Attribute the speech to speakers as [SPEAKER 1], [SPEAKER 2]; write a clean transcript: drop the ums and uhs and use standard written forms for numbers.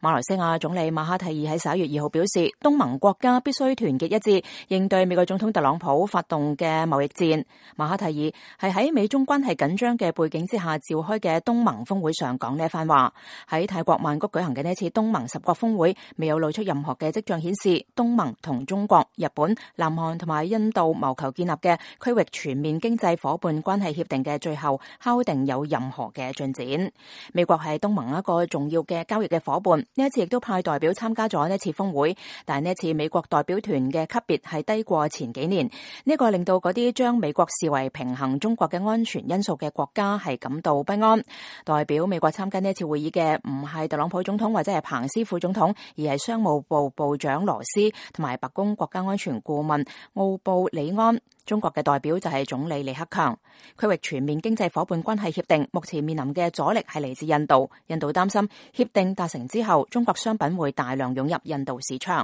[SPEAKER 1] 馬來西亞總理馬哈蒂爾喺11月2號表示，東盟國家必須團結一致，應對美國總統特朗普發動嘅貿易戰。馬哈蒂爾係喺美中關係緊張嘅背景之下召開嘅東盟峰會上講呢一番話。喺泰國曼谷舉行嘅呢一次東盟10國峰會，未有露出任何嘅跡象顯示東盟同中國、日本、南韓同埋印度謀求建立嘅區域全面經濟夥伴關係協定嘅最後敲定有任何嘅進展。美國係東盟一個重要嘅交易嘅夥伴，呢一次亦都派代表參加咗呢次峰會，但係呢一次美國代表團嘅級別係低過前幾年，呢個令到嗰啲將美國視為平衡中國嘅安全因素嘅國家係感到不安。代表美國參加呢一次會議嘅唔係特朗普總統或者係彭斯副總統，而係商務部部長羅斯同埋白宮國家安全顧問奧布里安。中國嘅代表就係總理李克強。區域全面經濟夥伴關係協定目前面臨嘅阻力係嚟自印度，印度擔心協定達成之後，中國商品會大量湧入印度市場。